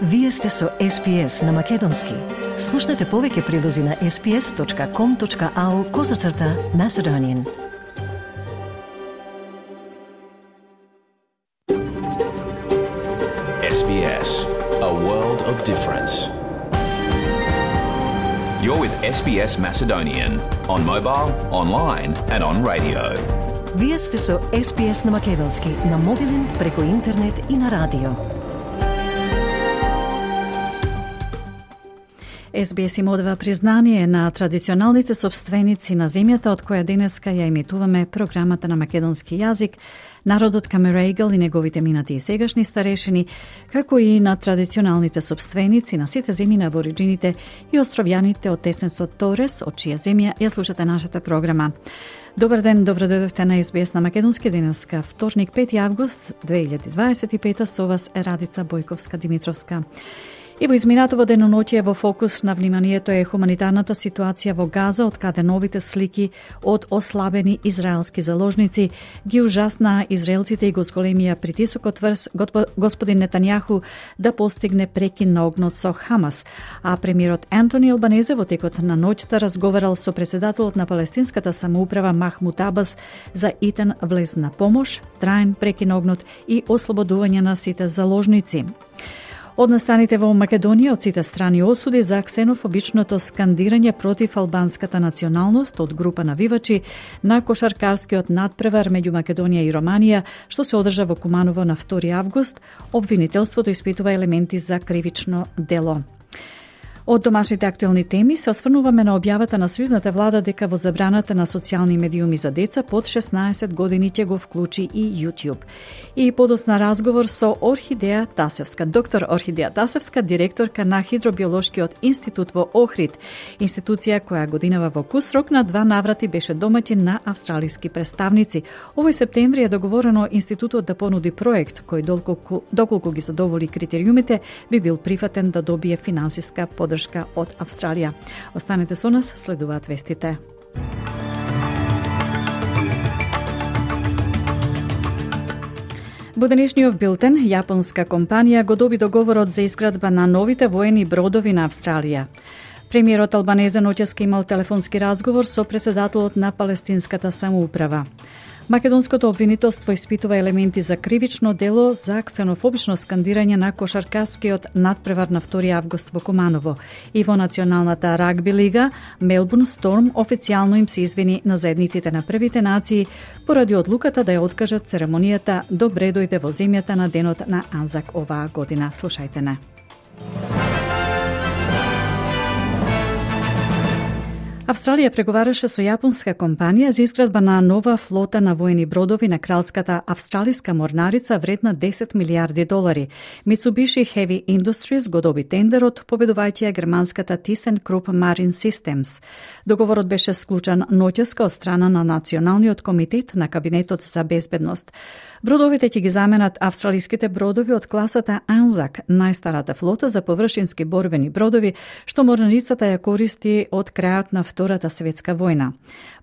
Вие сте со SPS на Македонски. Слушнете повеќе прилози на sps.com.au/Macedonian. SBS, a world of difference. You're with SBS Macedonian on mobile, online and on radio. Вие сте со SPS на Македонски на мобилен, преку интернет и на радио. SBS им одава признание на традиционалните собственици на земјата од која денеска ја емитуваме програмата на македонски јазик, народот Камерејгл и неговите минати и сегашни старешини, како и на традиционалните собственици на сите земји на абориджините и островјаните од теснецот Торес, од чија земја ја слушате нашата програма. Добар ден, добродојдовте на SBS на Македонски денеска, вторник 5 август 2025, со вас е Радица Бојковска-Димитровска. И во изминатово деноноќие во фокус на вниманието е хуманитарната ситуација во Газа, од каде новите слики од ослабени израелски заложници ги ужасна израелците и го зголемија притисокот врз господин Нетањаху да постигне прекин на огнот со Хамас, а премиерот Антони Албанезе во текот на ноќта разговарал со председателот на палестинската самоуправа Махмут Абас за итен влез на помош, траен прекин на огнот и ослободување на сите заложници. Од настаните во Македонија од сите страни осуди за ксенофобичното скандирање против албанската националност од група навивачи на кошаркарскиот надпревар меѓу Македонија и Романија, што се одржа во Куманово на 2 август. Обвинителството испитува елементи за кривично дело. Од домашните актуелни теми се осврнуваме на објавата на сојузната влада дека во забраната на социјални медиуми за деца под 16 години ќе го вклучи и YouTube. И подосна разговор со Орхидеја Тасевска, доктор Орхидеја Тасевска, директорка на Хидробиолошкиот институт во Охрид, институција која годинава во Кусрок на 2 наврати беше домаќин на австралиски представници. Овој септември е договорено институтот да понуди проект кој доколку ги задоволи критериумите би бил прифатен да добие финансиска поддршка од Австралија. Останете со нас, следуваат вестите. Во денешниот билтен, јапонска компанија го доби договорот за изградба на новите воени бродови на Австралија. Премиерот Албанезе ноќес имал телефонски разговор со председателот на палестинската самоуправа. Македонското обвинителство испитува елементи за кривично дело за ксенофобично скандирање на кошаркарскиот надпревар на 2 август во Куманово. И во националната рагби лига, Мелбурн Сторм официјално им се извини на заедниците на првите нации поради одлуката да ја откажат церемонијата Добре дојде во земјата на денот на Анзак оваа година. Слушајте не. Австралија преговараше со јапонска компанија за изградба на нова флота на воени бродови на кралската австралиска морнарица вредна $10 милиарди. Mitsubishi Heavy Industries го доби тендерот, победувајќи ја германската ThyssenKrupp Marine Systems. Договорот беше склучен ноќеска од страна на Националниот комитет на Кабинетот за безбедност. Бродовите ќе ги заменат австралиските бродови од класата Анзак, најстарата флота за површински борбени бродови, што морнарицата ја користи од крајот на Втората светска војна.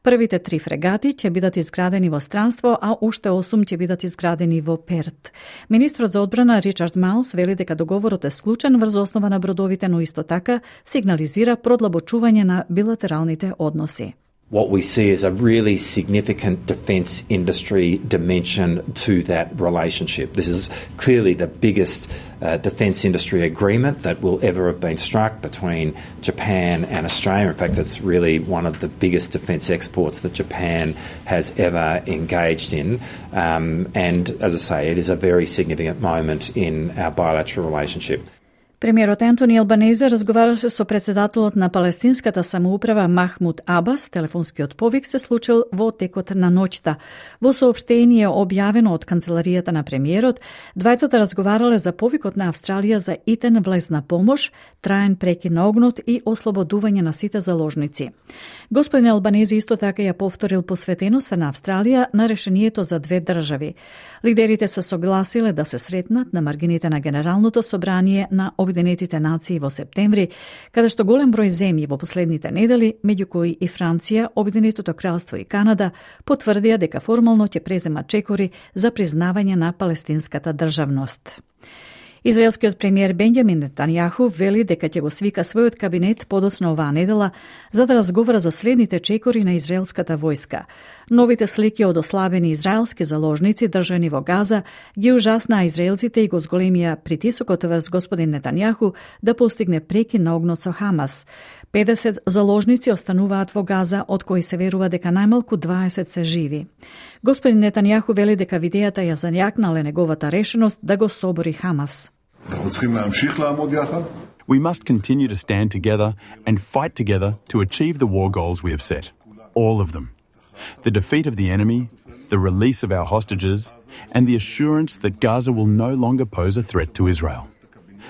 Првите 3 фрегати ќе бидат изградени во странство, а уште 8 ќе бидат изградени во Перт. Министрот за одбрана Ричард Малс вели дека договорот е склучен врз основа на бродовите, но исто така сигнализира продлабочување на билатералните односи. What we see is a really significant defence industry dimension to that relationship. This is clearly the biggest defence industry agreement that will ever have been struck between Japan and Australia. In fact, it's really one of the biggest defence exports that Japan has ever engaged in. And as I say, it is a very significant moment in our bilateral relationship. Премиерот Антони Албанезе разговараше со председателот на палестинската самоуправа Махмут Абас. Телефонскиот повик се случил во текот на ноќта. Во соопштение објавено од канцеларијата на премиерот, двајцата разговарале за повикот на Австралија за итен влез на помош, траен прекин на огнот и ослободување на сите заложници. Господин Албанезе исто така ја повторил посветеноста на Австралија на решението за 2 држави. Лидерите се согласиле да се сретнат на маргините на Генералното собрание на Обединетите нации во септември, каде што голем број земји во последните недели, меѓу кои и Франција, Обединетото кралство и Канада, потврдија дека формално ќе преземат чекори за признавање на палестинската државност. Израелскиот премиер Бенјамин Нетањаху вели дека ќе го свика својот кабинет подоцна оваа недела за да разговара за следните чекори на израелската војска. Новите слики од ослабени израелски заложници држани во Газа ги ужаснаа израелците и го зголемија притисокот врз господин Нетањаху да постигне прекин на огнот со Хамас. 50 заложници остануваат во Газа, од кои се верува дека најмалку 20 се живи. Господин Нетањаху вели дека видејата ја зањакнале неговата решеност да го собори Хамас. We must continue to stand together and fight together to achieve the war goals we have set. All of them. The defeat of the enemy, the release of our hostages, and the assurance that Gaza will no longer pose a threat to Israel.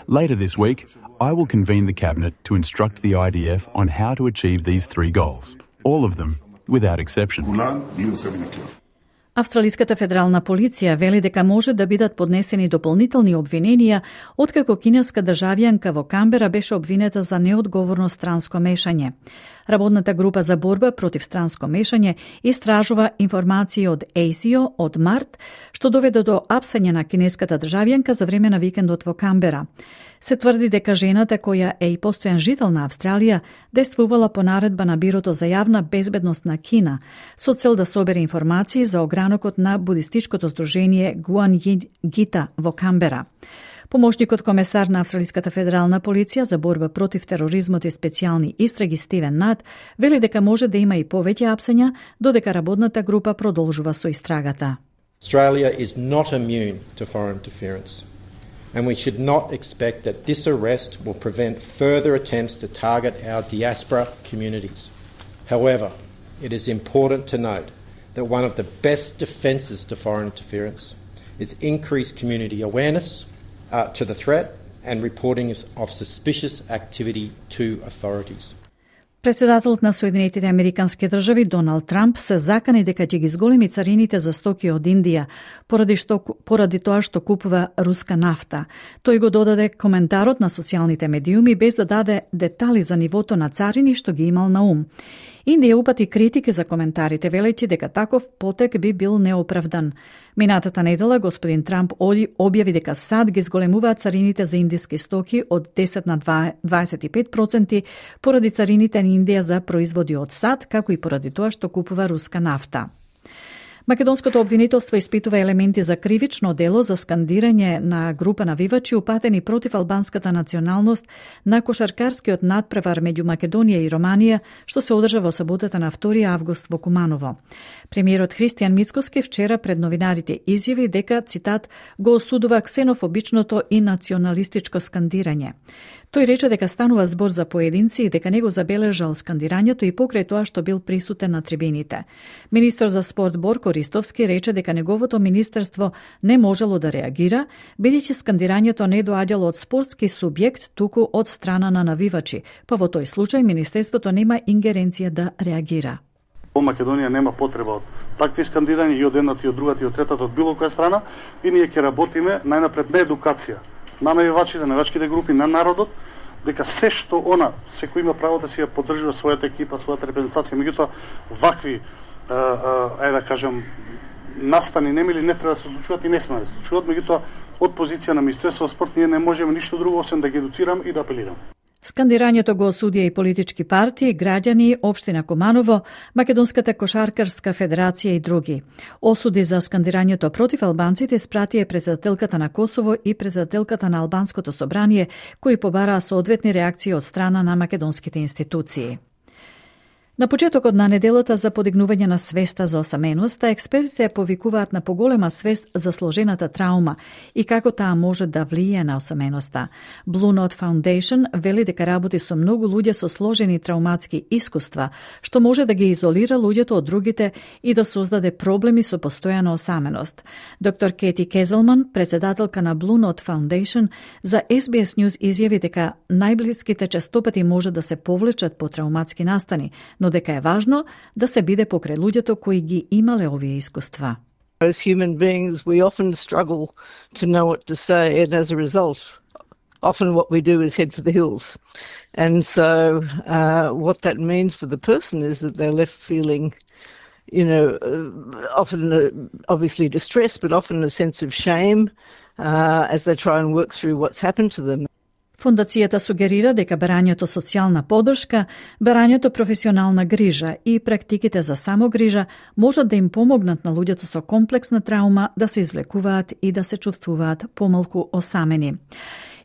Later this week, I will convene the Cabinet to instruct the IDF on how to achieve these three goals. All of them, without exception. Австралиската федерална полиција вели дека може да бидат поднесени дополнителни обвиненија откако кинеска државјанка во Камбера беше обвинета за неодговорно странско мешање. Работната група за борба против странско мешање истражува информации од ASIO од март, што доведе до апсање на кинеската државјанка за време на викендот во Камбера. Се тврди дека жената, која е и постојан жител на Австралија, действувала по наредба на Бирото за јавна безбедност на Кина, со цел да собере информации за огранокот на будистичкото здружение Гуан Гита во Камбера. Помошникот комесар на Австралиската федерална полиција за борба против тероризмот и специјални истраги Стивен Нат вели дека може да има и повеќе апсања, додека работната група продолжува со истрагата. Australia is not immune to foreign interference, and we should not expect that this arrest will prevent further attempts to target our diaspora communities. However, it is important to note that one of the best defences to foreign interference is increased community awareness to the threat and reporting of suspicious activity to authorities. Председателот на Соединетите Американски држави Доналд Трамп се закани дека ќе ги зголеми царините за стоки од Индија поради тоа што купува руска нафта. Тој го додаде коментарот на социјалните медиуми без да даде детали за нивото на царини што ги имал на ум. Индија упати критики за коментарите, велејќи дека таков потек би бил неоправдан. Минатата недела господин Трамп објави дека САД ги зголемуваат царините за индиски стоки од 10 на 25% поради царините на Индија за производи од САД, како и поради тоа што купува руска нафта. Македонското обвинителство испитува елементи за кривично дело за скандирање на група навивачи упатени против албанската националност на кошаркарскиот надпревар меѓу Македонија и Романија, што се одржа во саботата на 2 август во Куманово. Премиерот Христијан Мицкоски вчера пред новинарите изјави дека, цитат, го осудува ксенофобичното и националистичко скандирање. Тој рече дека станува збор за поединци и дека не го забележал скандирањето и покрај тоа што бил присутен на трибините. Министер за спорт Борко Ристовски рече дека неговото министерство не можело да реагира, бидејќи скандирањето не доаѓало од спортски субјект, туку од страна на навивачи, па во тој случај министерството нема ингеренција да реагира. Во Македонија нема потреба од такви скандирања и од едната и од другата и од третата од било која страна, и ние ќе работиме најнапред на едукација на навивачите, навивачките групи, на народот, дека се што секој има право да си ја поддржува својата екипа, својата репрезентација, меѓутоа вакви да кажам настани немили не треба да се случуваат и не сме да се случуваат, меѓутоа од позиција на Министерството за спорт ние не можеме ништо друго освен да ги едуцирам и да апелирам. Скандирањето го осудија и политички партии, граѓани, општина Куманово, Македонската кошаркарска федерација и други. Осуди за скандирањето против албанците спратија председателката на Косово и председателката на Албанското собрание, кои побараа соодветни реакции од страна на македонските институции. На почетокот на неделата за подигнување на свеста за осаменоста, експертите повикуваат на поголема свест за сложената траума и како таа може да влие на осаменоста. Blue Note Foundation вели дека работи со многу луѓе со сложени трауматски искуства, што може да ги изолира луѓето од другите и да создаде проблеми со постојана осаменост. Доктор Кети Кезелман, председателка на Blue Note Foundation, за SBS News изјави дека најблиските честопати може да се повлечат по трауматски настани, но дека е важно да се биде покрај луѓето кои ги имале овие искуства. As human beings, we often struggle to know what to say, and as a result, often what we do is head for the hills. And so what that means for the person is that they're left feeling, often obviously distress, but often a sense of shame, as they try and work through what's happened to them. Фондацијата сугерира дека барањето социјална поддршка, барањето професионална грижа и практиките за самогрижа можат да им помогнат на луѓето со комплексна траума да се извлекуваат и да се чувствуваат помалку осамени.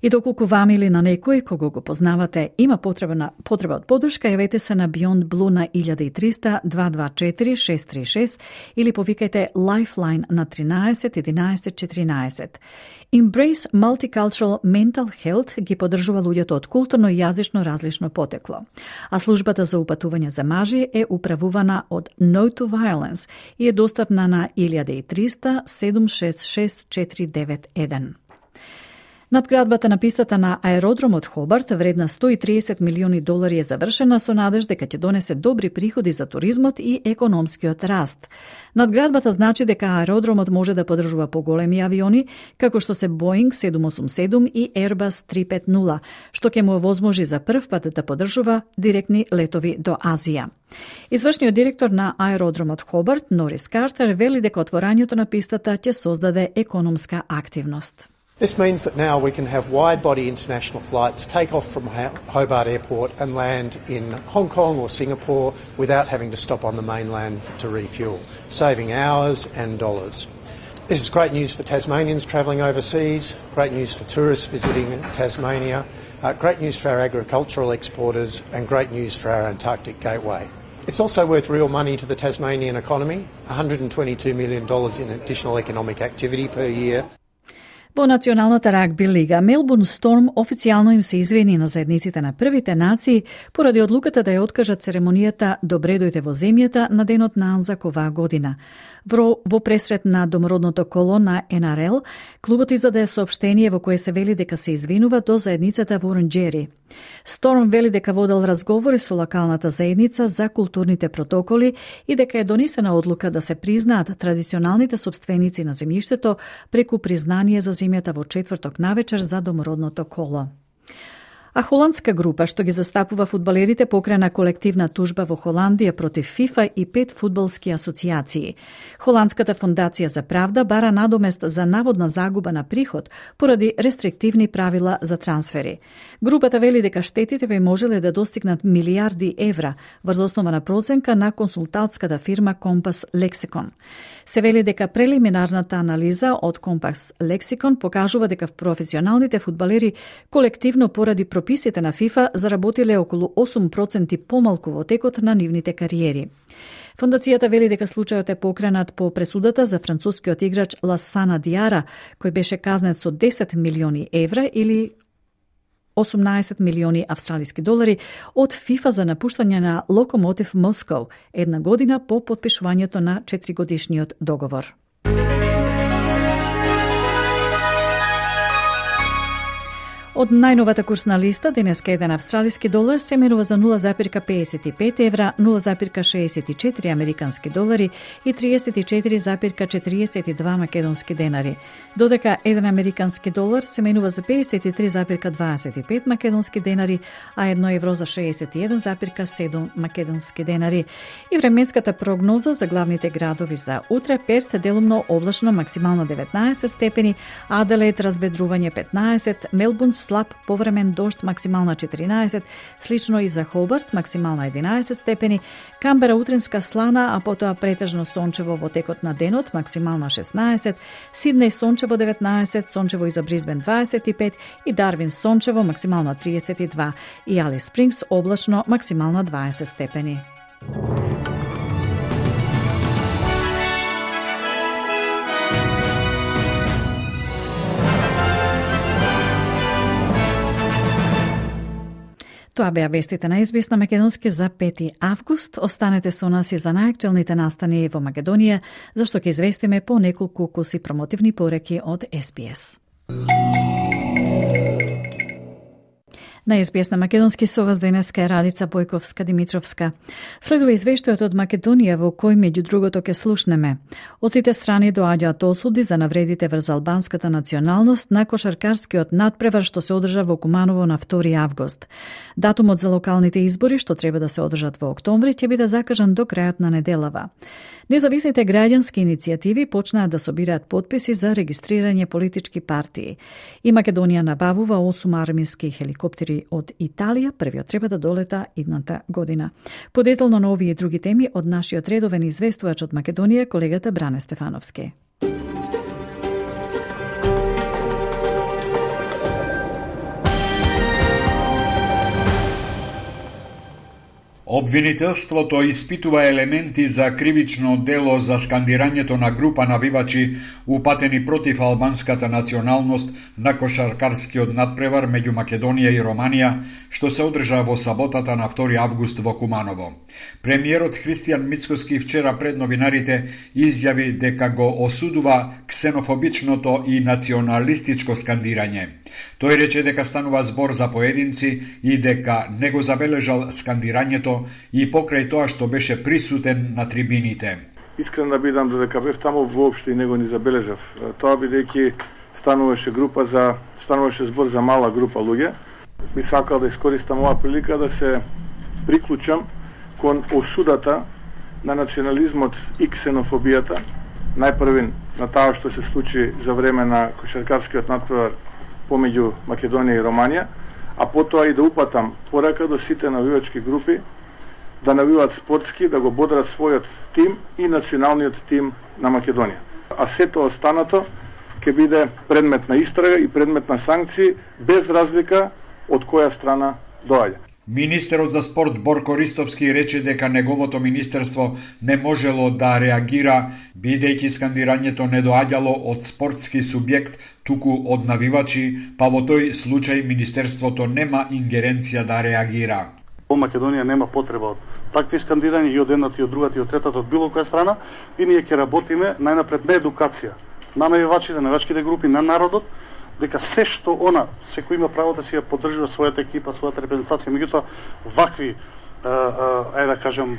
И доколку вам или на некој кого го познавате има потреба од поддршка, јавете се на Beyond Blue на 1300 224 636 или повикајте Lifeline на 13 11 14. Embrace Multicultural Mental Health ги поддржува луѓето од културно и јазично различно потекло, а службата за упатување за мажи е управувана од No to Violence и е достапна на 1300 766 491. Надградбата на пистата на аеродромот Хобарт, вредна $130 милиони, е завршена со надеж дека ќе донесе добри приходи за туризмот и економскиот раст. Надградбата значи дека аеродромот може да поддржува поголеми авиони, како што се Boeing 787 и Airbus 350, што ќе му овозможи за прв пат да поддржува директни летови до Азија. Извршниот директор на аеродромот Хобарт, Норис Картер, вели дека отворањето на пистата ќе создаде економска активност. This means that now we can have wide-body international flights take off from Hobart Airport and land in Hong Kong or Singapore without having to stop on the mainland to refuel, saving hours and dollars. This is great news for Tasmanians travelling overseas, great news for tourists visiting Tasmania, great news for our agricultural exporters and great news for our Antarctic gateway. It's also worth real money to the Tasmanian economy, $122 million in additional economic activity per year. Во Националната рагби лига Мелбурн Сторм официјално им се извини на заедниците на првите нации поради одлуката да ја откажат церемонијата Добре дојде во земјата на денот на Анзак оваа година. Во пресрет на домородното коло на НРЛ, клубот издаде соопштение во кое се вели дека се извинува до заедницата во Оранџери. Сторм вели дека водел разговори со локалната заедница за културните протоколи и дека е донесена одлука да се признаат традиционалните сопственици на земјиштето преку признание за земјата во четврток навечер за домородното коло. А холандска група што ги застапува фудбалерите покрена колективна тужба во Холандија против ФИФА и 5 фудбалски асоциации. Холандската фондација за правда бара надомест за наводна загуба на приход поради рестриктивни правила за трансфери. Групата вели дека штетите би можеле да достигнат милиарди евра врз основа на проценка на консултантската фирма Compass Lexicon. Се вели дека прелиминарната анализа од Compass Lexicon покажува дека професионалните фудбалери колективно поради прописите на ФИФА заработиле околу 8% помалку во текот на нивните кариери. Фондацијата вели дека случајот е покренат по пресудата за францускиот играч Ласана Диара, кој беше казнет со 10 милиони евра или 18 милиони австралиски долари од ФИФА за напуштање на Локомотив Москов, една година по потпишувањето на 4-годишниот договор. Од најновата курсна листа, денеска еден австралиски долар се менува за 0,55 евра, 0,64 американски долари и 34,42 македонски денари. Додека еден американски долар се менува за 53,25 македонски денари, а 1 евро за 61,7 македонски денари. И временската прогноза за главните градови за утре: Перт делумно облачно, максимално 19 степени, Аделаид разведрување 15, Мелбурн слаб повремен дожд, максимална 14, слично и за Хобарт, максимална 11 степени, Камбера утринска слана, а потоа претежно сончево во текот на денот, максимална 16, Сиднеј сончево 19, сончево и за Бризбен 25 и Дарвин сончево, максимална 32 и Алис Спрингс облачно, максимална 20 степени. Тоа беа вестите на SBS на македонски за 5 август. Останете со нас и за најактуелните настани во Македонија, зашто ќе известиме по неколку куси промотивни пореки од SBS. На СБС на македонски со вас денеска е Радица Бојковска-Димитровска. Следува извештајот од Македонија во кој меѓу другото ќе слушнеме. Од сите страни доаѓаат осуди за навредите врз албанската националност на кошаркарскиот надпревар што се одржа во Куманово на 2 август. Датумот за локалните избори што треба да се одржат во октомври ќе биде закажан до крајот на неделава. Независните граѓански иницијативи почнаат да собираат потписи за регистрирање политички партии. И Македонија набавува 8 армиски хеликоптери од Италија, првиот треба да долета идната година. Подетално на овие и други теми од нашиот редовен известувач од Македонија, колегата Бране Стефановски. Обвинителството испитува елементи за кривично дело за скандирањето на група навивачи упатени против албанската националност на кошаркарскиот надпревар меѓу Македонија и Романија, што се одржа во саботата на 2 август во Куманово. Премиерот Христијан Мицкоски вчера пред новинарите изјави дека го осудува ксенофобичното и националистичко скандирање. Тој рече дека станува збор за поединци и дека не го забележал скандирањето и покрај тоа што беше присутен на трибините. Искрен да бидам, додека бев таму воопшто и него не забележав. Тоа бидејќи стануваше збор за мала група луѓе. Би сакал да искористам оваа прилика да се приклучам кон осудата на национализмот и ксенофобијата, најпрвен на таа што се случи за време на кошаркарскиот надпревар помеѓу Македонија и Романија, а потоа и да упатам порака до сите навивачки групи да навиваат спортски, да го бодрат својот тим и националниот тим на Македонија. А сето останато ќе биде предмет на истрага и предмет на санкции без разлика од која страна доаѓа. Министерот за спорт Борко Ристовски рече дека неговото министерство не можело да реагира, бидејќи скандирањето не доаѓало од спортски субјект, туку од навивачи, па во тој случај министерството нема ингеренција да реагира. Во Македонија нема потреба од такви скандирања и од едната и од другата и од третата од било која страна, и ние ќе работиме најнапред на едукација на навивачите, навивачките групи, на народот, дека се што секој има право да си ја поддржува својата екипа, својата репрезентација, меѓутоа вакви да кажам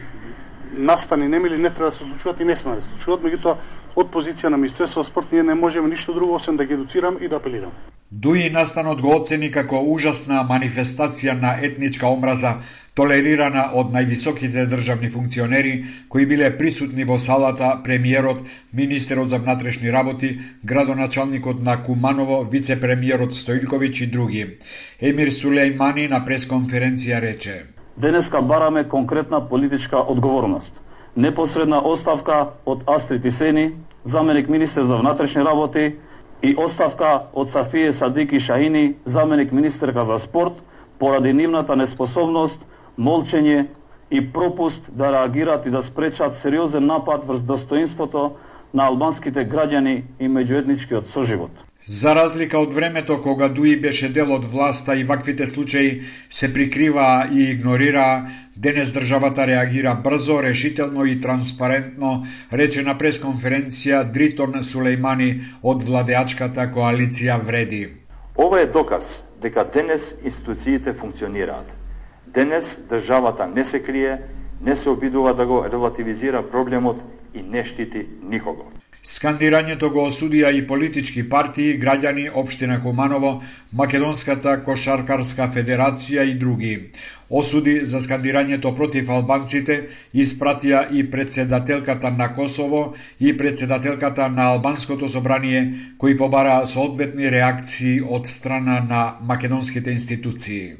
настани немили не треба да се случуваат и не сме да се случуваат, меѓутоа од позиција на Министерството за спорт ние не можеме ништо друго освен да ги едуцирам и да апелирам. Дуи настанот го оцени како ужасна манифестација на етничка омраза, толерирана од највисоките државни функционери кои биле присутни во салата, премиерот, министерот за внатрешни работи, градоначалникот на Куманово, вице-премиерот Стоилковиќ и други. Емир Сулејмани на пресконференција рече: Денеска бараме конкретна политичка одговорност. Непосредна оставка од Астрид Исени, заменик министер за внатрешни работи, и оставка од Сафие Садики Шахини, заменик министерка за спорт, поради нивната неспособност, молчење и пропуст да реагираат и да спречат сериозен напад врз достоинството на албанските граѓани и меѓуетничкиот соживот. За разлика од времето кога Дуи беше дел од власта и ваквите случаи се прикриваа и игнорираа, денес државата реагира брзо, решително и транспарентно, рече на пресконференција Дритон Сулејмани од владеачката коалиција Вреди. Ова е доказ дека денес институциите функционираат. Денес државата не се крие, не се обидува да го релативизира проблемот и не штити никого. Скандирањето го осудија и политички партии, граѓани, општина Куманово, Македонската кошаркарска федерација и други. Осуди за скандирањето против албанците испратија и председателката на Косово и председателката на Албанското собрание, кои побараа соодветни реакции од страна на македонските институции.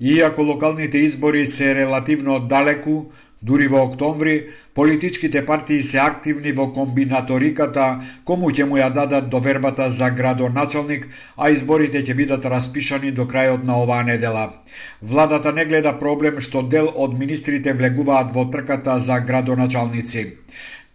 Иако локалните избори се релативно далеку, дури во октомври, политичките партии се активни во комбинаториката кому ќе му ја дадат довербата за градоначалник, а изборите ќе бидат распишани до крајот на оваа недела. Владата не гледа проблем што дел од министрите влегуваат во трката за градоначалници.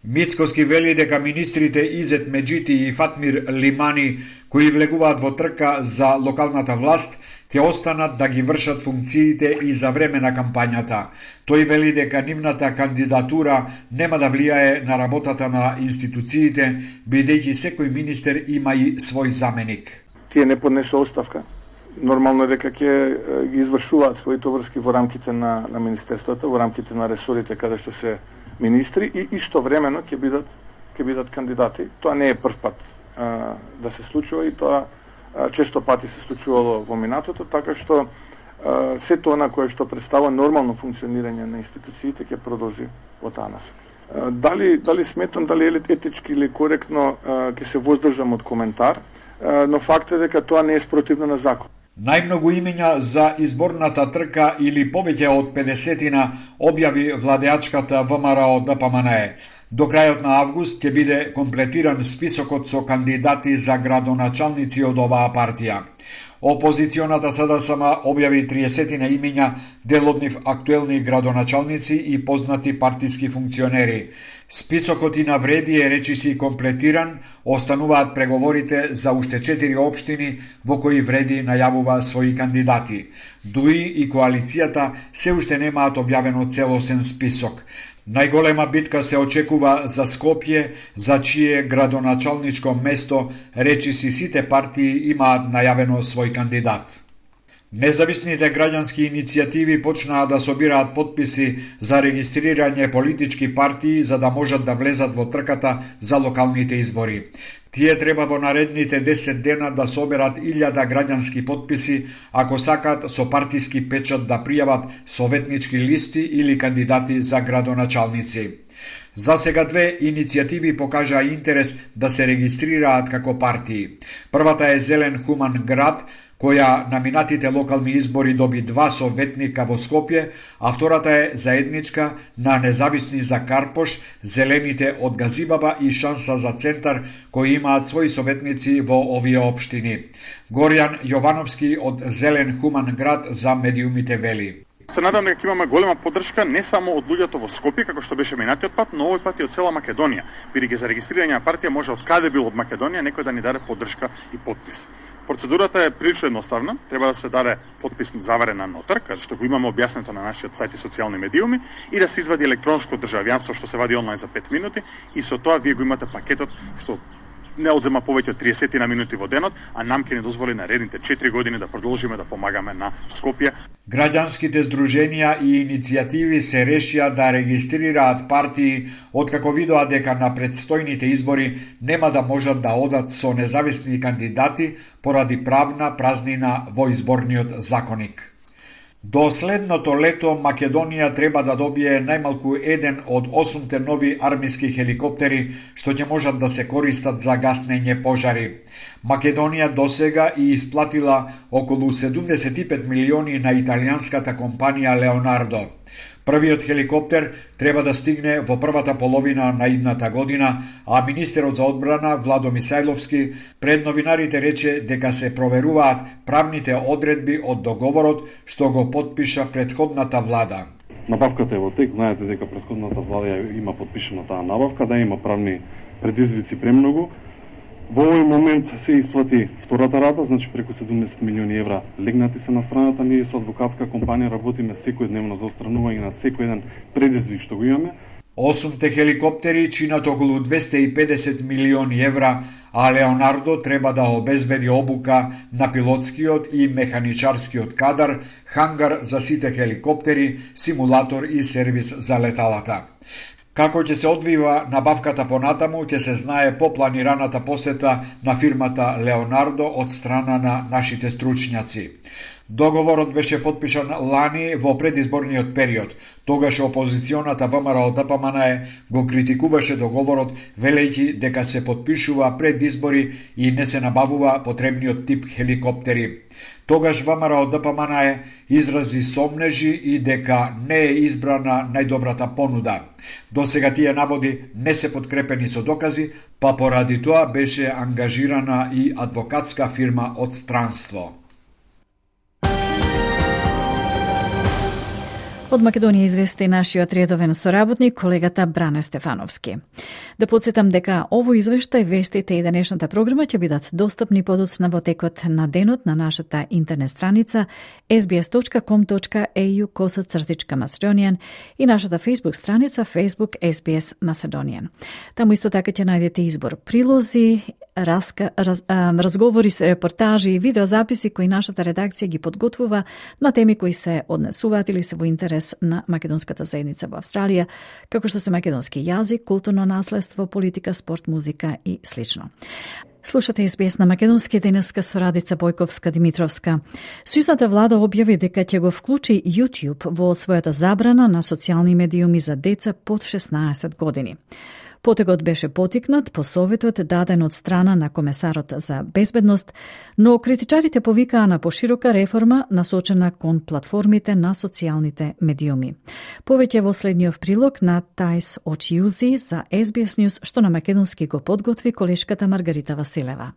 Мицкоски вели дека министрите Изет Меджити и Фатмир Лимани, кои влегуваат во трка за локалната власт, ќе останат да ги вршат функциите и за време на кампањата. Тој вели дека нивната кандидатура нема да влијае на работата на институциите, бидејќи секој министер има и свој заменик. Тие не поднесу оставка. нормално е дека ќе ги извршуваат своите врски во рамките на министерствата, во рамките на ресорите каде што се министри и истовремено ќе бидат кандидати. Тоа не е прв пат да се случува и тоа често пати се случувало во минатото, така што сето она кое што представува нормално функционирање на институциите ќе продолжи во таа насока. Дали сметам дали е етички или коректно ќе се воздржам од коментар, но факт е дека тоа не е спротивно на закон. Најмногу имења за изборната трка или повеќе од 50-тина објави владеачката ВМРО ДПМНЕ. До крајот на август ќе биде комплетиран списокот со кандидати за градоначалници од оваа партија. Опозиционата СДСМ објави 30 имења, дел од нив актуелни градоначалници и познати партиски функционери. Списокот и навреди е речиси комплетиран, остануваат преговорите за уште 4 општини во кои Вреди најавува своји кандидати. ДУИ и коалицијата се уште немаат објавено целосен список. Најголема битка се очекува за Скопје, за чие градоначалничко место речиси сите партии имаат најавено свој кандидат. Независните граѓански иницијативи почнаа да собираат потписи за регистрирање политички партии за да можат да влезат во трката за локалните избори. Тие треба во наредните 10 дена да соберат 1000 граѓански потписи ако сакаат со партиски печат да пријават советнички листи или кандидати за градоначалници. За сега две иницијативи покажаа интерес да се регистрираат како партии. Првата е Зелен Хуман град, која на минатите локални избори доби 2 советника во Скопје, а втората е заедничка на Независни за Карпош, Зелените од Газибаба и Шанса за Центар, кои имаат своји советници во овие општини. Горјан Јовановски од Зелен Хуман град за медиумите вели. Се надам дека имаме голема поддршка не само од луѓето во Скопје, како што беше минатиот пат, но овој пат и од цела Македонија. Бидејќи за регистрирање на партија може од каде бил од Македонија некој да ни даде поддршка и подпис. Процедурата е прилично едноставна, треба да се даде подпис заверен на нотар, каде што го имаме објаснето на нашиот сајт и социјални медиуми, и да се извади електронско државјанство што се вади онлайн за 5 минути, и со тоа вие го имате пакетот што не одзема повеќе од 30 минути во денот, а нам ќе ни дозволи наредните 4 години да продолжиме да помагаме на Скопје. Граѓанските здруженија и иницијативи се решија да регистрираат партии откако видоа дека на предстојните избори нема да можат да одат со независни кандидати поради правна празнина во изборниот законник. До следното лето Македонија треба да добие најмалку еден од 8 нови армиски хеликоптери што ќе можат да се користат за гаснење пожари. Македонија досега и исплатила околу 75 милиони на италијанската компанија Леонардо. Првиот хеликоптер треба да стигне во првата половина на идната година, а министерот за одбрана Владо Мисајловски пред новинарите рече дека се проверуваат правните одредби од договорот што го потпиша претходната влада. Набавката е во тек, знаете дека претходната влада има потпишана таа набавка, да има правни предизвици премногу. Во овој момент се исплати втората рата, значи преку 70 милиони евра легнати се на страната. Ние со адвокатска компанија работиме секојдневно за отстранување на секој еден предизвик што го имаме. 8 хеликоптери чинат околу 250 милиони евра, а Леонардо треба да обезбеди обука на пилотскиот и механичарскиот кадар, хангар за сите хеликоптери, симулатор и сервис за леталата. Како ќе се одвива набавката понатаму, ќе се знае по планираната посета на фирмата Леонардо од страна на нашите стручњаци. Договорот беше потпишан лани во предизборниот период. Тогаш опозиционата ВМРО ДПМНЕ го критикуваше договорот, велејќи дека се потпишува пред избори и не се набавува потребниот тип хеликоптери. Тогаш ВМРО ДПМНЕ изрази сомнежи и дека не е избрана најдобрата понуда. Досега тие наводи не се подкрепени со докази, па поради тоа беше ангажирана и адвокатска фирма од странство. Од Македонија извести нашиот редовен соработник, колегата Бране Стефановски. Да подсетам дека овој извештај, вестите и денешната програма ќе бидат достапни подоцна во текот на денот на нашата интернет страница sbs.com.au/Macedonian и нашата Facebook страница Facebook SBS Macedonian. Таму исто така ќе најдете избор прилози, разговори, репортажи и видеозаписи кои нашата редакција ги подготвува на теми кои се однесуваат или се во интерес на македонската заедница во Австралија, како што се македонски јазик, културно наследство, политика, спорт, музика и слично. Слушате SBS на македонски, денеска со Радица Бојковска-Димитровска. Сојузната влада објави дека ќе го вклучи YouTube во својата забрана на социјални медиуми за деца под 16 години. Потегот беше потикнат по советот даден од страна на комесарот за безбедност, но критичарите повикаа на поширока реформа насочена кон платформите на социјалните медиуми. Повеќе во следниот прилог на Тајс Очиузи за SBS News, што на македонски го подготви колешката Маргарита Василева.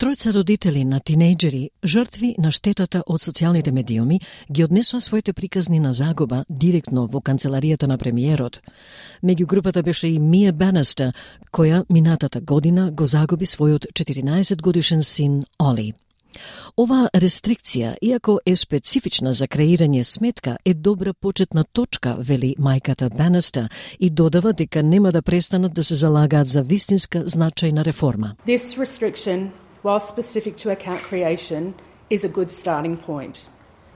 Тројца родители на тинејџери, жртви на штетата од социјалните медиуми, ги однесоа своите приказни на загуба директно во канцеларијата на премиерот. Меѓу групата беше и Мија Банистер, која минатата година го загуби својот 14-годишен син Оли. Ова рестрикција, иако е специфична за креирање сметка, е добра почетна точка, вели мајката Банистер, и додава дека нема да престанат да се залагаат за вистинска значајна реформа. This restriction, while specific to account creation, is a good starting point.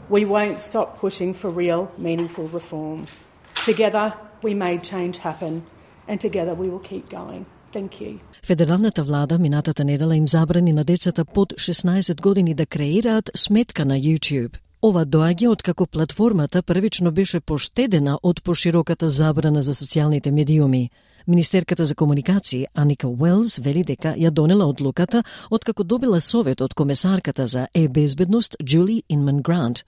We won't stop pushing for real, meaningful reform. Together, we made change happen, and together we will keep going. Thank you. Федералната влада минатата недела им забрани на децата под 16 години да креираат сметка на YouTube. Ова доаѓа откако платформата првично беше поштедена од пошироката забрана за социјалните медиуми. Министерката за комуникации Аника Уелс вели дека ја донела одлуката откако добила совет од комесарката за безбедност Джули Инман Грант.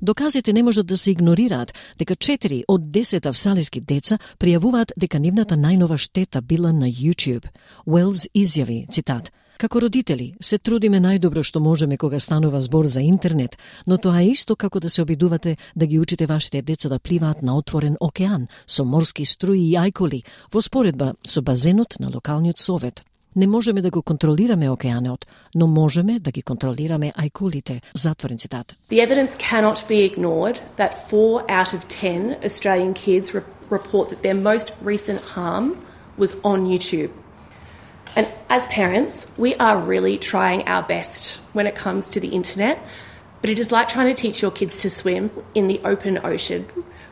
Доказите не можат да се игнорираат дека 4 од 10 австралиски деца пријавуваат дека нивната најнова штета била на YouTube. Уелс изјави, цитат: "Како родители се трудиме најдобро што можеме кога станува збор за интернет, но тоа е исто како да се обидувате да ги учите вашите деца да пливаат на отворен океан со морски струи и ајкули во споредба со базенот на локалниот совет. Не можеме да го контролираме океанот, но можеме да ги контролираме ајкулите." Затворен цитат. The evidence cannot be ignored that 4 out of 10 Australian kids report that their most recent harm was on YouTube. And as parents, we are really trying our best when it comes to the internet, but it is like trying to teach your kids to swim in the open ocean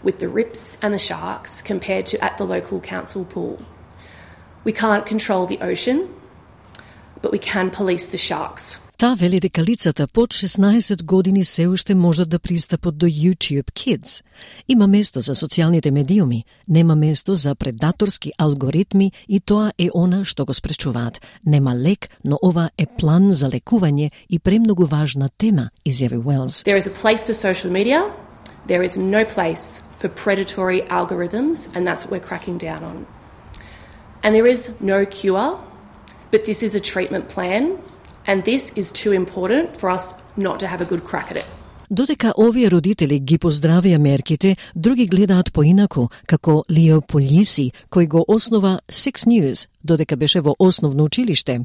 with the rips and the sharks compared to at the local council pool. We can't control the ocean, but we can police the sharks. Таа вели дека лицата под 16 години се уште можат да пристапат до YouTube Kids. Има место за социјалните медиуми, нема место за предаторски алгоритми и тоа е она што го спречуваат. Нема лек, но ова е план за лекување и премногу важна тема, изјави Уелс. There is a place for social media, there is no place for predatory algorithms, and that's what we're cracking down on. And there is no cure, but this is a treatment plan, and this is too important for us not to have a good crack at it. Додека овие родители ги поздравија мерките, други гледаат поинаку, како Лио Полиси, кој го основа Six News, додека беше во основно училиште.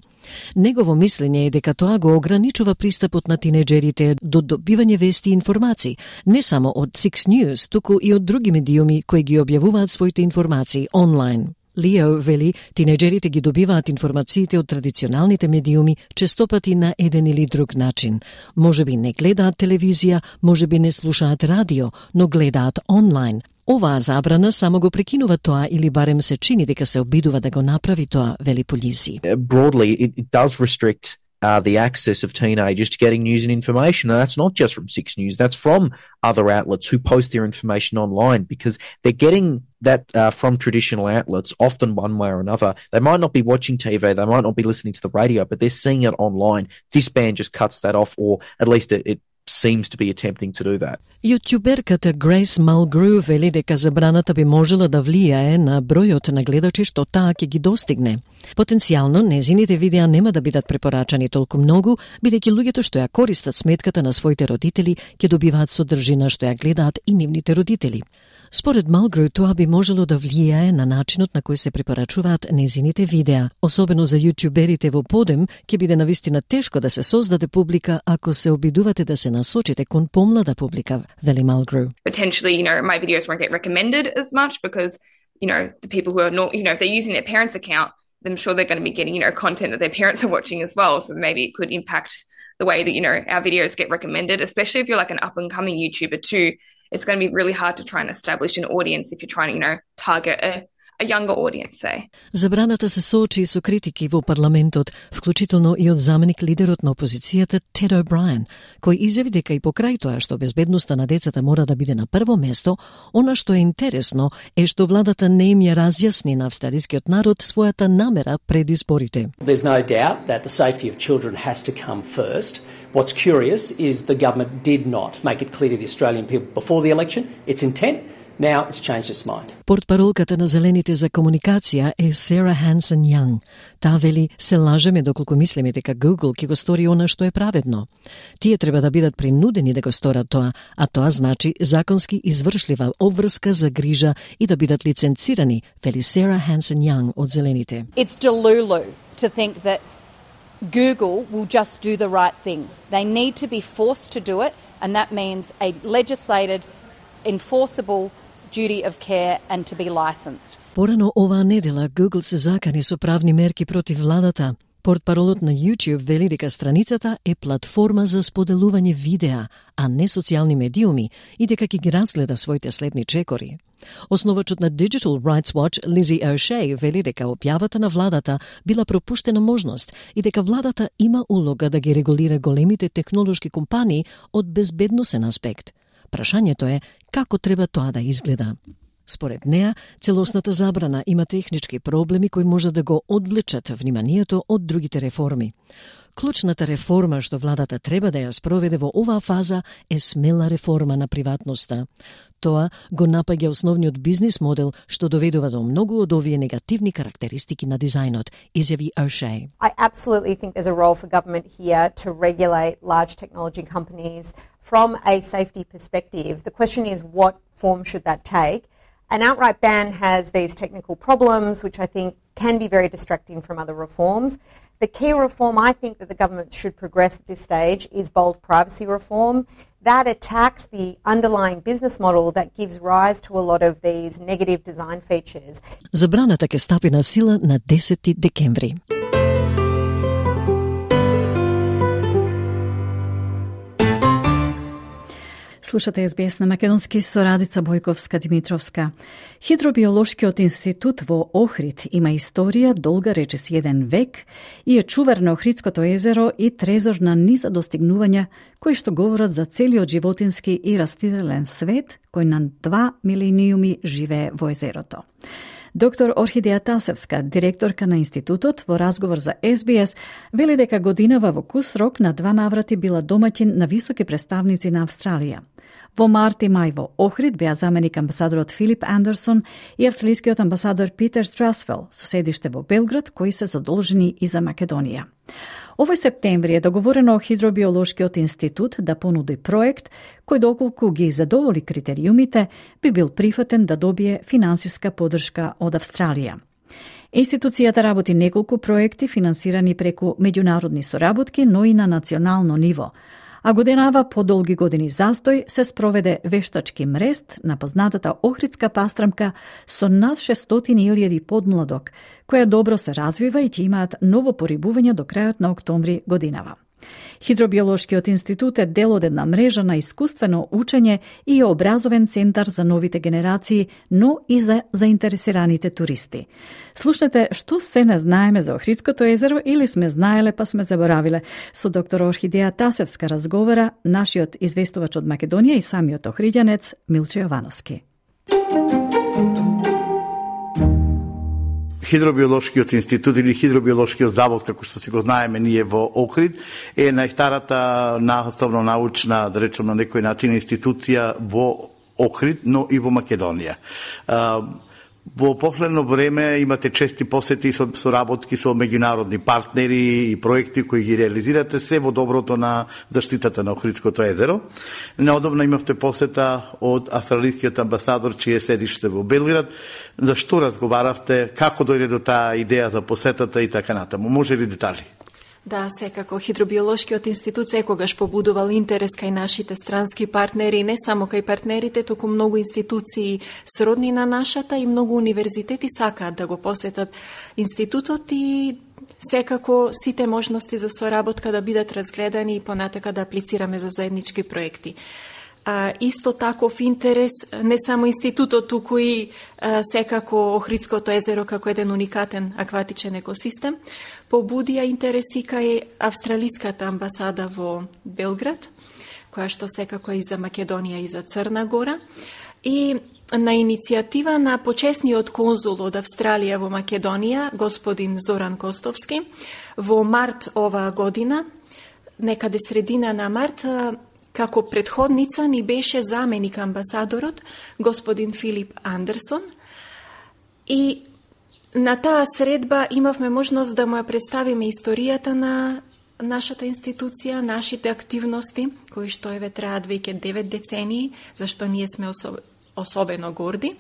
Негово мислење е дека тоа го ограничува пристапот на тинеџерите до добивање вести и информации, не само од Six News, туку и од други медиуми кои ги објавуваат своите информации онлайн. Лио вели, тинеџерите ги добиваат информациите од традиционалните медиуми честопати на еден или друг начин. Можеби не гледаат телевизија, можеби не слушаат радио, но гледаат онлайн. Оваа забрана само го прекинува тоа или барем се чини дека се обидува да го направи тоа, вели Полиси. Broadly, it does restrict the access of teenagers to getting news and information. And that's not just from Six News, that's from other outlets who post their information online, because they're getting that from traditional outlets, often one way or another. They might not be watching TV, they might not be listening to the radio, but they're seeing it online. This ban just cuts that off, or at least it seems to be attempting to do that. Јутјуберката Грейс Малгру вели дека забраната би можела да влијае на бројот на гледачи што таа ќе ги достигне. Потенцијално, незините видеа нема да бидат препорачани толку многу, бидејќи луѓето што ја користат сметката на своите родители ќе добиваат содржина што ја гледаат и нивните родители. Според Малгру, тоа би можело да влијае на начинот на кој се препорачуваат незините видеа. Особено за јутјуберите во подем, ќе биде навистина тешко да се создаде публика ако се обидувате да се насочите кон помлада публика, вели Малгру. Potentially, my videos won't get recommended as much because, the people who are not, if they're using their parents' account, I'm sure they're going to be getting, content that their parents are watching as well. So maybe it could impact the way that, our videos get recommended, especially if you're like an up-and-coming YouTuber too. It's going to be really hard to try and establish an audience if you're trying to, target a younger audience, say. Забраната се соочи со критики во парламентот, вклучително и од заменик лидерот на опозицијата Тед О'Брајен, кој изјави дека и покрај тоа што безбедноста на децата мора да биде на прво место, она што е интересно е што владата не им ја разјасни на австралискиот народ својата намера пред изборите. There's no doubt that the safety of children has to come first. What's curious is the government did not make it clear to the Australian people before the election its intent. Now it's changed its mind. Портпаролката на Зелените за комуникација е Сара Хансен Јанг. Таа вели, се лажеме доколку мислиме дека Google ќе го стори она што е праведно. Тие треба да бидат принудени да го сторат тоа, а тоа значи законски извршлива обврска за грижа и да бидат лиценцирани, вели Сара Хансен Јанг од Зелените. It's delulu to think that Google will just do the right thing. They need to be forced to do it, and that means a legislated, enforceable duty of care and to be licensed. Порано оваа недела Google се закани со правни мерки против владата. Портпаролот на YouTube вели дека страницата е платформа за споделување видеа, а не социјални медиуми, и дека ќе ги разгледа своите следни чекори. Основачот на Digital Rights Watch, Lizzie O'Shea, вели дека објавата на владата била пропуштена можност и дека владата има улога да ги регулира големите технолошки компании од безбедносен аспект. Прашањето е како треба тоа да изгледа. Според неа, целосната забрана има технички проблеми кои може да го одвлечат вниманието од другите реформи. Клучната реформа што владата треба да ја спроведе во оваа фаза е смела реформа на приватноста. Тоа го напаѓа основниот бизнис модел што доведува до многу од овие негативни карактеристики на дизајнот, изјави O'Shea. I absolutely think there's a role for government here to regulate large technology companies from a safety perspective. The question is, what form should that take? An outright ban has these technical problems, which I think can be very distracting from other reforms. The key reform I think that the government should progress at this stage is bold privacy reform. That attacks the underlying business model that gives rise to a lot of these negative design features. Забраната ќе стапи на сила на 10 декември. Слушате СБС на македонски со Радица Бојковска-Димитровска. Хидробиолошкиот институт во Охрид има историја долга речиси 1 век и е чувар на Охридското езеро и трезор на низа достигнувања кои што говорат за целиот животински и растителен свет кој на 2 милениуми живее во езерото. Доктор Орхидеја Тасевска, директорка на институтот, во разговор за СБС, вели дека годинава во кус рок на 2 наврати била домаќин на високи представници на Австралија. Во март и мај во Охрид беа заменик амбасадорот Филип Андерсон и австралискиот амбасадор Питер Трасфел, со седиште во Белград, кои се задолжени и за Македонија. Овој септември е договорено Хидробиолошкиот институт да понуди проект кој доколку ги задоволи критериумите би бил прифатен да добие финансиска поддршка од Австралија. Институцијата работи неколку проекти финансирани преку меѓународни соработки, но и на национално ниво. А годинава по долги години застој се спроведе вештачки мрест на познатата Охридска пастрамка со над 600.000 подмладок, која добро се развива и ќе имаат ново порибување до крајот на октомври годинава. Хидробиолошкиот институт е дел од една мрежа на искуствено учење и образовен центар за новите генерации, но и за заинтересираните туристи. Слушнете што се не знаеме за Охридското езеро или сме знаеле па сме заборавиле. Со доктор Орхидеја Тасевска разговара нашиот известувач од Македонија и самиот охриѓанец Милче Јовановски. Хидробиолошкиот институт или Хидробиолошкиот завод, како што си го знаеме ние во Охрид, е најстарата наставно-научна, да речем на некој начин, институција во Охрид, но и во Македонија. Во последно време имате чести посети со соработки со меѓународни партнери и проекти кои ги реализирате се во доброто на заштитата на Охридското езеро. Неодамно имавте посета од австралискиот амбасадор, чие седиште во Белград. За што разговаравте, како дојде до таа идеја за посетата и така натаму? Може ли детали? Да, секако Хидробиолошкиот институт секогаш побудувал интерес кај нашите странски партнери, не само кај партнерите, туку многу институции сродни на нашата и многу универзитети сакаат да го посетат институтот и секако сите можности за соработка да бидат разгледани и понатака да аплицираме за заеднички проекти. Исто таков интерес не само институтот, туку и секако Охридското езеро како еден уникатен акватичен екосистем, побудија интереси кај австралиската амбасада во Белград, која што секако е и за Македонија и за Црна Гора, и на иницијатива на почесниот конзул од Австралија во Македонија, господин Зоран Костовски, во март оваа година, некаде средина на март, како предходница ни беше заменик амбасадорот, господин Филип Андерсон, и на таа средба имавме можност да му ја представиме историјата на нашата институција, нашите активности, кои што еве траат веќе 9 децении, зашто ние сме особено горди.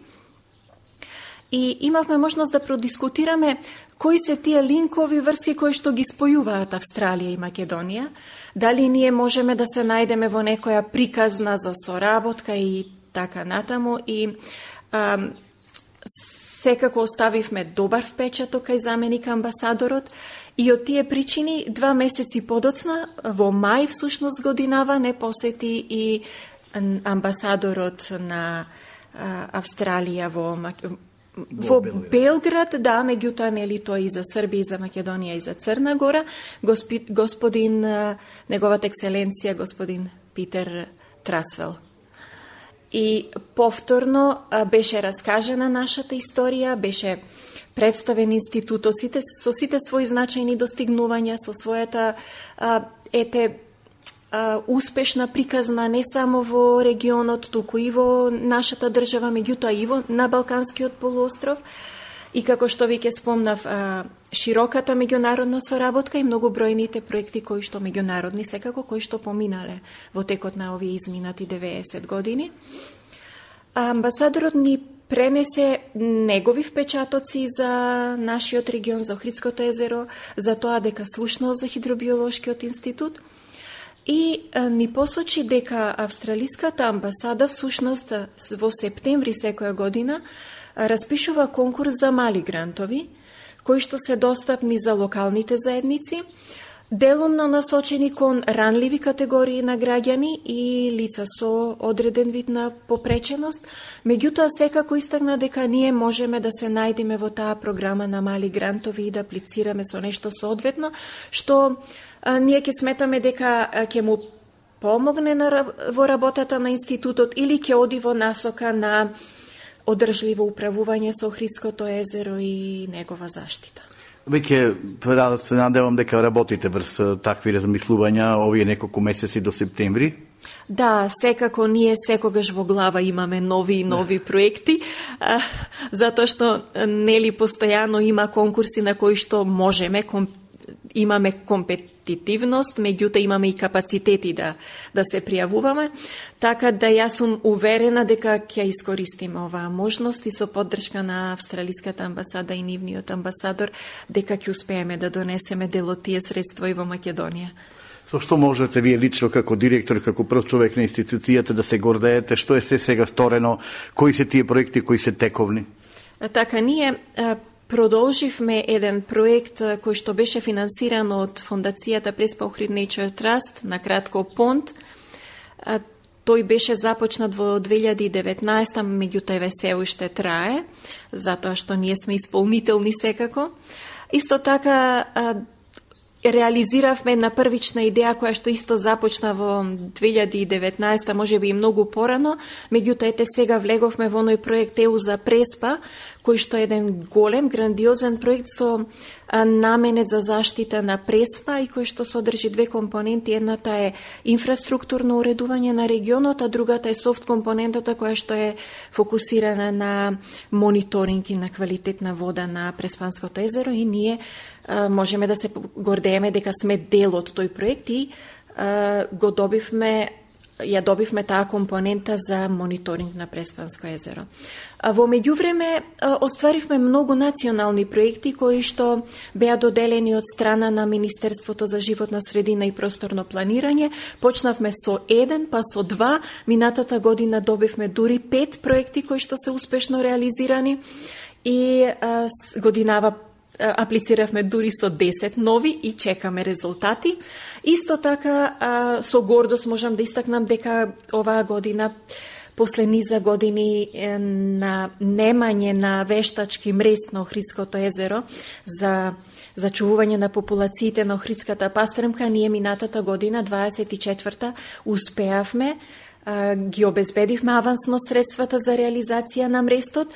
И имавме можност да продискутираме кои се тие линкови врски кои што ги спојуваат Австралија и Македонија, дали ние можеме да се најдеме во некоја приказна за соработка и така натаму, и секако оставивме добар впечаток кај заменик амбасадорот, и од тие причини 2 месеци подоцна, во мај всушност годинава, не посети и амбасадорот на Австралија во Белград, да, меѓутоа нели тој и за Србија, и за Македонија, и за Црна Гора, господин, неговата екселенција, господин Питер Трасвел. И повторно беше раскажена нашата историја, беше представен институтот со сите своји значајни достигнувања, со својата успешна приказна не само во регионот, туку и во нашата држава, меѓутоа и на Балканскиот полуостров. И како што веќе спомнав, широката меѓународна соработка и многобројните проекти кои што меѓународни секако, кои што поминале во текот на овие изминати 90 години. Амбасадорот ни пренесе негови впечатоци за нашиот регион, за Охридското езеро, за тоа дека слушнал за Хидробиолошкиот институт, и ни посочи дека австралиската амбасада всушност во септември секоја година распишува конкурс за мали грантови, кои што се достапни за локалните заедници, делумно насочени кон ранливи категории на граѓани и лица со одреден вид на попреченост. Меѓутоа, секако истакна дека ние можеме да се најдеме во таа програма на мали грантови и да аплицираме со нешто соодветно, што ние ќе сметаме дека ќе му помогне во работата на институтот или ќе оди во насока на одржливо управување со Охридското езеро и негова заштита. Веќе се надевам дека работите врз такви размислувања овие неколку месеци до септември. Да, секако ние секогаш во глава имаме нови и нови проекти, затоа што нели постојано има конкурси на кои што можеме, имаме компетитивност, меѓутоа имаме и капацитети да се пријавуваме, така да јас сум уверена дека ќе искористиме оваа можност и со поддршка на австралиската амбасада и нивниот амбасадор, дека ќе успееме да донесеме дел од тие средства и во Македонија. Со што можете вие лично како директор, како прв човек на институцијата да се гордеете, што е се сега сторено, кои се тие проекти кои се тековни? Така, ние продолживме еден проект кој што беше финансиран од фондацијата Преспа Охрид Nature Trust, на кратко ПОНТ. Тој беше започнат во 2019, меѓутоа еве се уште трае, затоа што ние сме исполнителни секако. Исто така реализиравме на првична идеја која што исто започна во 2019, можеби и многу порано, меѓутоа ете сега влеговме во оној проект ЕУ за Преспа, кој што е еден голем, грандиозен проект со наменет за заштита на Преспа и кој што содржи две компоненти. Едната е инфраструктурно уредување на регионот, а другата е софт компонентата која што е фокусирана на мониторинг и на квалитет на вода на Преспанското езеро и ние можеме да се гордееме дека сме дел од тој проект и добивме таа компонента за мониторинг на Преспанско езеро. Во меѓувреме остваривме многу национални проекти кои што беа доделени од страна на Министерството за животна средина и просторно планирање. Почнавме со 1, па со 2, минатата година добивме дури 5 проекти кои што се успешно реализирани и годинава аплициравме дури со 10 нови и чекаме резултати. Исто така, со гордост можам да истакнам дека оваа година, после низа години на немање на вештачки мреж на Охридското езеро за зачувување на популациите на Охридската пастремка, ние минатата година, 24-та, успеавме, ги обезбедивме авансно средствата за реализација на мрестот,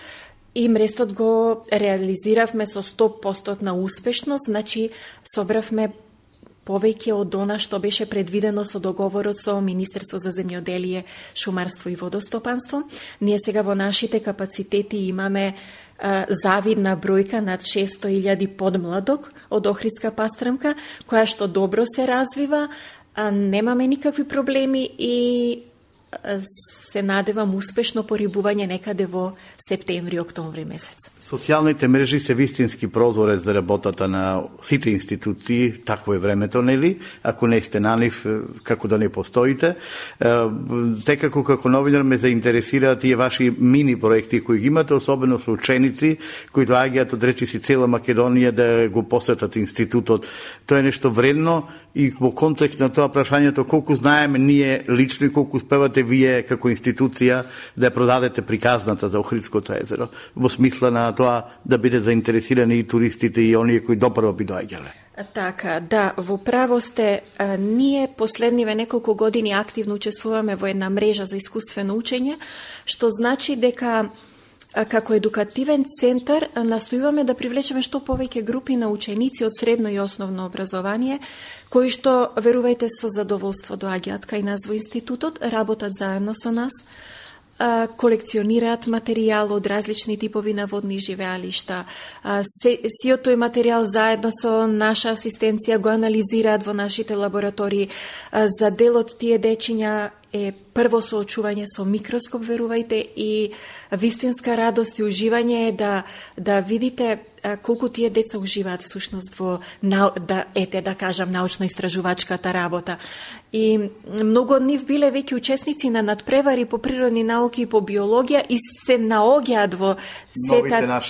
и мрестот го реализиравме со 100% на успешност, значи собравме повеќе од она што беше предвидено со договорот со Министерство за земјоделие, шумарство и водостопанство. Ние сега во нашите капацитети имаме завидна бројка над 600.000 подмладок од Охридска пастремка, која што добро се развива, немаме никакви проблеми и се надевам успешно порибување некаде во септември-октомври месец. Социјалните мрежи се вистински прозорец за работата на сите институции, такво е времето, нели? Ако не сте на нив, како да не постоите. Секако како новинар ме заинтересираат тие ваши мини проекти кои ги имате, особено со ученици кои доаѓаат од речиси цела Македонија да го посетат институтот. Тоа е нешто вредно и во контекст на тоа прашањето колку знаеме ние лично и колку успевате вие како институција да продадете приказната за Охридското езеро, во смисла на тоа да биде заинтересирани и туристите и оние кои допрво би доаѓале. Така, да, во право сте. Ние последниве неколку години активно учествуваме во една мрежа за искуствено учење, што значи дека како едукативен центар настојуваме да привлечеме што повеќе групи на ученици од средно и основно образование, кои што, верувајте, со задоволство доаѓаат кај нас во институтот, работат заедно со нас, колекционираат материјал од различни типови на водни живеалишта. Сиот тој материјал заедно со наша асистенција го анализираат во нашите лаборатории. За дел од тие дечиња е прво соочување со микроскоп, верувајте, и вистинска радост и уживање е да видите колку тие деца уживаат всушност во да кажам научно-истражувачката работа. И многу од нив биле веќе учесници на надпревари по природни науки и по биологија и се наоѓаат во сета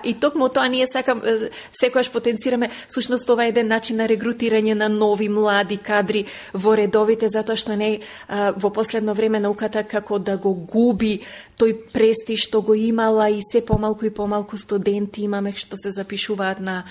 и токму тоа ние секогаш потенцираме. Всушност ова е еден начин на регрутирање на нови млади кадри во редовите, затоа што не во последно време науката како да го губи тој престиж што го имала и се помалку и помалку студенти имаме што се запишуваат на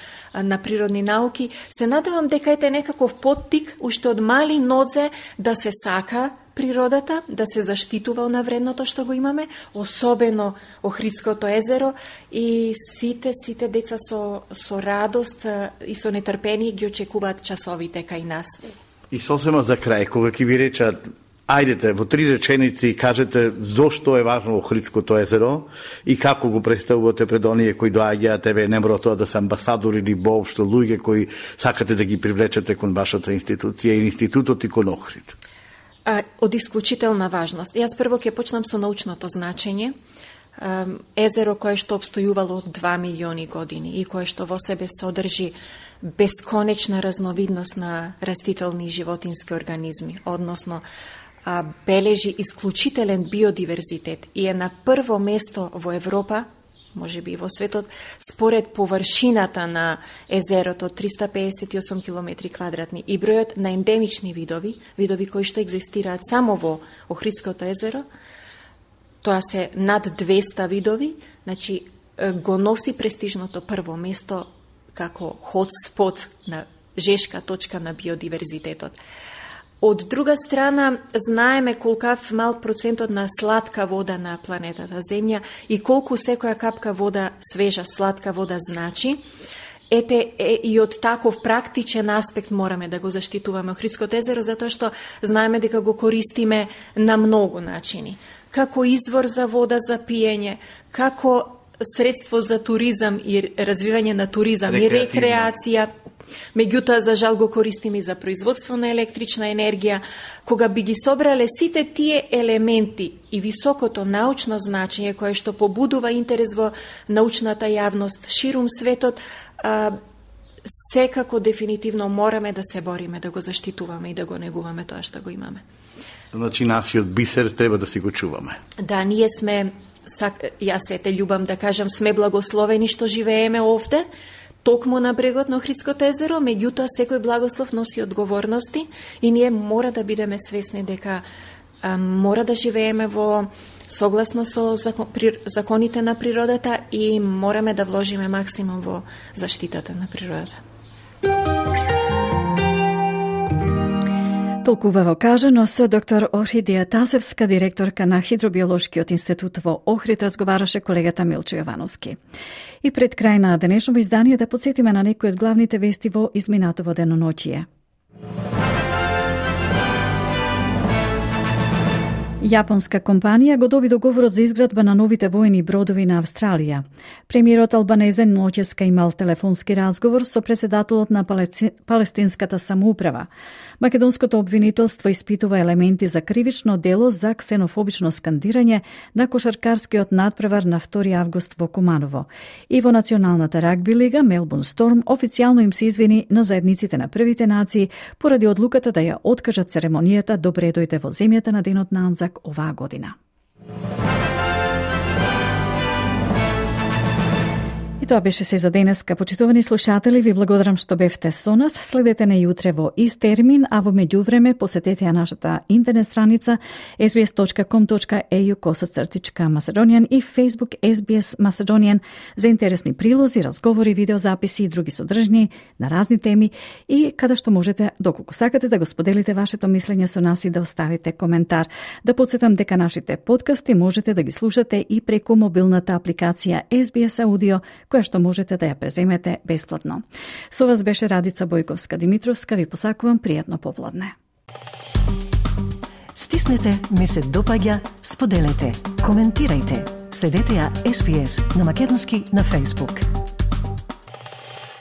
природни науки. Се надевам дека е некаков поттик уште од мали нодзе да се сака природата, да се заштитува на вредното што го имаме, особено Охридското езеро, и сите деца со радост и со нетрпение ги очекуваат часовите кај нас. И сосема за крај, кога ќе ви речат, ајдете во 3 реченици кажете зошто е важно Охридското езеро и како го представувате пред оние кои доаѓаат, не мора тоа да се амбасадори или воопшто луѓе кои сакате да ги привлечете кон вашата институција и институтот и кон Охрид. Од исклучителна важност. Јас прво ќе почнам со научното значење. Езеро кое што обстојувало 2 милиони години и кое што во себе содржи бесконечна разновидност на растителни и животински организми, односно бележи исклучителен биодиверзитет и е на прво место во Европа, може би и во светот, според површината на езерото 358 километри квадратни и бројот на ендемични видови кои што екзистираат само во Охридското езеро, тоа се над 200 видови, значи го носи престижното прво место како хотспот на жешка точка на биодиверзитетот. Од друга страна, знаеме колкав мал процентот на сладка вода на планетата Земја и колку секоја капка вода, свежа, сладка вода значи. И од таков практичен аспект мораме да го заштитуваме Охридското езеро, затоа што знаеме дека го користиме на многу начини. Како извор за вода за пиење, како средство за туризам и развивање на туризам и рекреација. Меѓутоа, за жал го користиме и за производство на електрична енергија. Кога би ги собрале сите тие елементи и високото научно значење кое што побудува интерес во научната јавност ширум светот, секако дефинитивно мораме да се бориме, да го заштитуваме и да го негуваме тоа што го имаме. Значи, нашиот бисер треба да си го чуваме. Да, ние сме, јас ете љубам да кажам, сме благословени што живееме овде, токму на брегот на Охридското езеро, меѓутоа секој благослов носи одговорности и ние мора да бидеме свесни дека мора да живееме во согласно со законите на природата и мораме да вложиме максимум во заштитата на природата. Толкува кажано со доктор Орхидија Тасевска, директорка на Хидробиолошкиот институт во Охрид, разговараше колегата Милчо Јовановски. И пред крај на денешното издание да подсетиме на некои од главните вести во изминатово деноноќие. Јапонска компанија го доби договорот за изградба на новите воени бродови на Австралија. Премиерот Албанезе ноќеска имал телефонски разговор со председателот на Палестинската самоуправа. Македонското обвинителство испитува елементи за кривично дело за ксенофобично скандирање на кошаркарскиот надпревар на 2 август во Куманово. И во Националната рагби лига Мелбурн Сторм официјално им се извини на заедниците на првите нации поради одлуката да ја откажат церемонијата Добре дојде во земјата на денот на Анзак оваа година. И тоа беше се за денеска. Почитувани слушатели, ви благодарам што бевте со нас. Следете не јутре во ист термин, а во меѓувреме посетете ја нашата интернет страница sbs.com.au/Macedonian и Facebook SBS Macedonian за интересни прилози, разговори, видеозаписи и други содржини на разни теми и каде што можете, доколку сакате, да го споделите вашето мислење со нас и да оставите коментар. Да подсетам дека нашите подкасти можете да ги слушате и преку мобилната апликација SBS Audio, која што можете да ја преземете бесплатно. Со вас беше Радица Бојковска-Димитровска. Ви посакувам пријатно попладне. Стиснете, ми се допаѓа, споделете, коментирајте. Следете ја SBS на македонски на Facebook.